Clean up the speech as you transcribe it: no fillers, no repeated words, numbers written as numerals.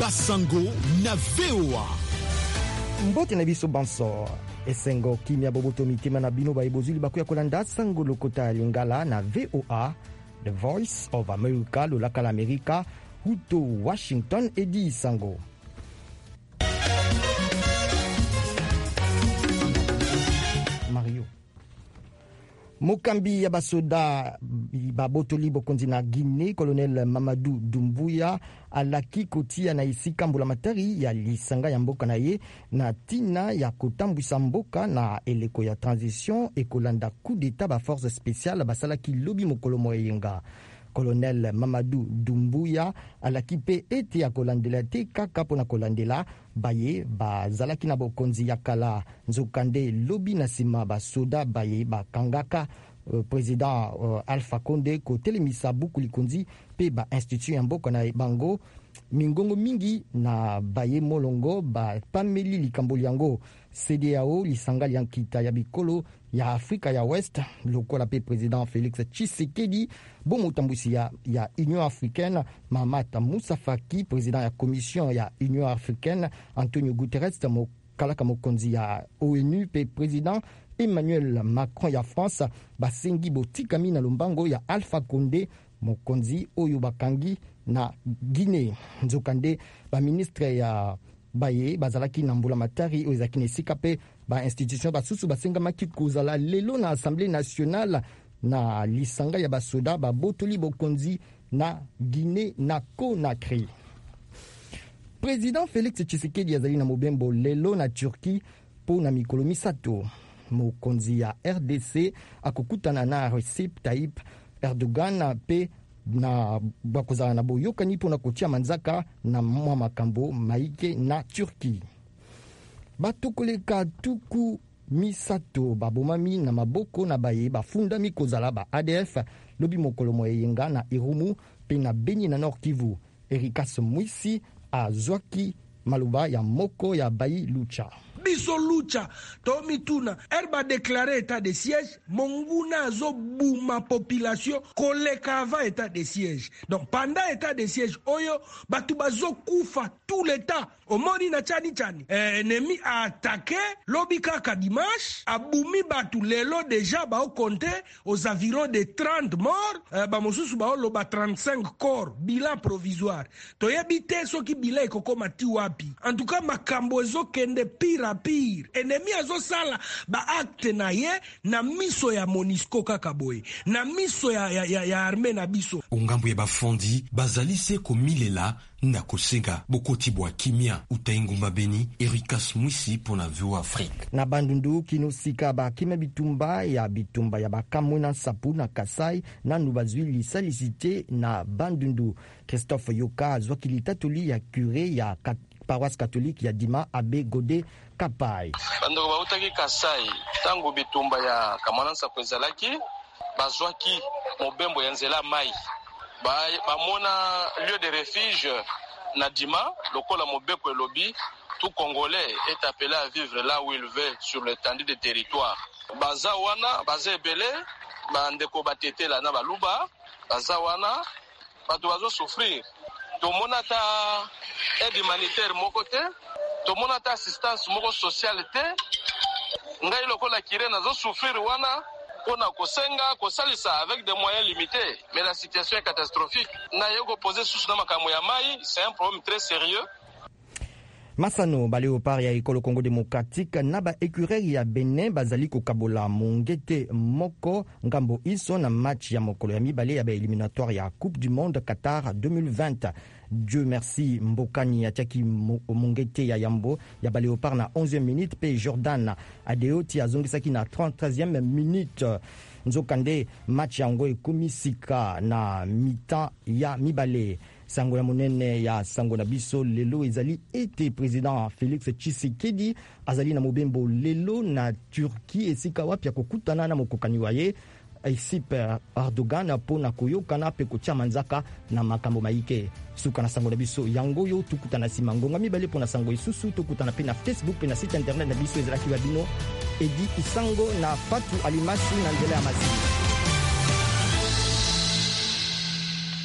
Basango na VOA. Mbote na biso banso, esengo, kimia, boboto mitema na bino baye bozwi libaku ya kolanda sango lokota ya Lingala na VOA, The Voice of America, lolaka la Amerika, huto Washington. Edi Sango. Mario. Mokambi ya basoda babotoli bokonzi na Guinée, colonel Mamadou Doumbouya, alaki kotia na esika mbulamatari ya lisanga ya mboka na ye na ntina ya kotambwisa mboka na eleko ya transition ekolanda coup d'etat ba force spéciale basalaki lobi mokolo mwa eyenga. Colonel Mamadou Doumbouya alaki mpe ete akolandela te kaka mpo na kolandela baye bazalaki na bokonzi ya kala. Nzokande lobi na nsima basoda baye bakangaka président Alpha Conde kotelemisa buku likonzi mpe ba institution ya mboka na bango, mingongo mingi na baye molongo bapameli likambo lyango. CEDEAO, lisanga lya nkita ya bikolo ya Afrika ya Ouest, lokola mpe président Félix Tshisekedi bo motambwisi ya Union africaine, Mahamat Moussa Faki, président ya Commission ya Union africaine, Antonio Guterres, mokalaka mokonzi ya ONU, mpe président Emmanuel Macron ya France, basengi botikami na lombango ya Alpha Conde, mokonzi oyo bakangi na Guinée. Nzokande baministre ya baye bazalaki na mbula matari oyo ezalaki na esika mpe bainstitution basusu basengamaki kozala lelo na Assemblée nationale na lisanga ya basoda babotoli bokonzi na Guinée na Conakry. Président Félix Tshisekedi azali na mobembo lelo na Turquie mpo na mikolo 3. Mokonzi ya RDC akokutana na Recep Tayyip Erdogan mpe na bakozala na boyokani mpona kotia manzaka na mwa makambo maike na Turquie. Bato koleka 30 babomami na maboko na baye bafundami kozala ba ADF lobi mokolo mwa eyenga na Irumu mpe na Beni na Nord Kivu. Erikas Mwisi azwaki maloba ya moko ya bayi Lucha. Biso Lucha tomituna, ere badéclarer état de siège, monguna azobuma population koleka avant état de siège. Donc pendant état de siège oyo, bato bazokufa tout le temps. Omoni na chani chani, ennemi aattaquer lobi kaka dimanche, abumi bato. Lelo déjà baocompter aux environs de 30 morts, bamosusu baoloba 35 corps, bilan provisoire. Toyebi te soki bilan ekokoma ti wapi. En tout cas, makambo ezokende pire à pire. Ennemi azosala baacte na ye na miso ya MONUSCO kaka boye, na miso ya armée na biso. Ngambo ya bafondi bazali se komilela na kosenga bokoti bwa kimia. Uta engumba Beni, Erikas Mwisi mpo na VOA Afrique. Na Bandundu, kino sika bakima bitumba ya bakamwina nsapu na Kasai nanu bazwi lisalisi te. Na Bandundu, Christophe Yoka azwaki litatoli ya curé ya paroisse catholique ya Dima, abbé Gode Kapai. Bandeko bautaki Kasai ntango bitumba ya Kamwina Nsapu ezalaki, bazwaki mobembo ya nzela mai, bamona lieu de refuge na Dima. Lokola mobeko elobi, tout Congolais est appelé à vivre là où il veut sur l'étendue du territoire, baza wana, baza ebele. Bandeko batetela na baluba baza wana, bato bazosouffrir. Tomona ata aide humanitaire moko te, tomona ata assistance moko sociale te. Ngai lokola curé nazosouffrir wana mpona kosenga kosalisa avec des moyens limités, mais la situation est catastrophique. Naye koposer susu na makambo ya mai, c'est un problème très sérieux. Masano baléopard ya ekolo Congo démocratique na baécureuil ya Benin bazali kokabola mongete moko ngambo iso na match ya mokolo ya mibale ya baéliminatoire ya Coupe du monde Qatar 2020. Dieu Merci Mbokani atiaki mongete ya yambo ya baléopard na 11e minute, mpe Jordan Adeoti azongisaki na 33e minute. Nzokande match yango ekomi sika na mi-temps ya mibale. Sango ya monene ya sango na biso lelo ezali ete président Félix Tshisekedi azali na mobembo lelo na Turquie, esika wapi akokutana na mokokani wa ye Recep Erdogan mpo na koyokana mpe kotia manzaka na makambo maike. Suka na sango na biso yango oyo. Tokutana nsima ngonga 2 mpo na sango lisusu. Tokutana mpe na Facebook mpe na site internet na biso. Ezalaki wa bino Edi Isango na Fatu Alimasi na nzela ya masini.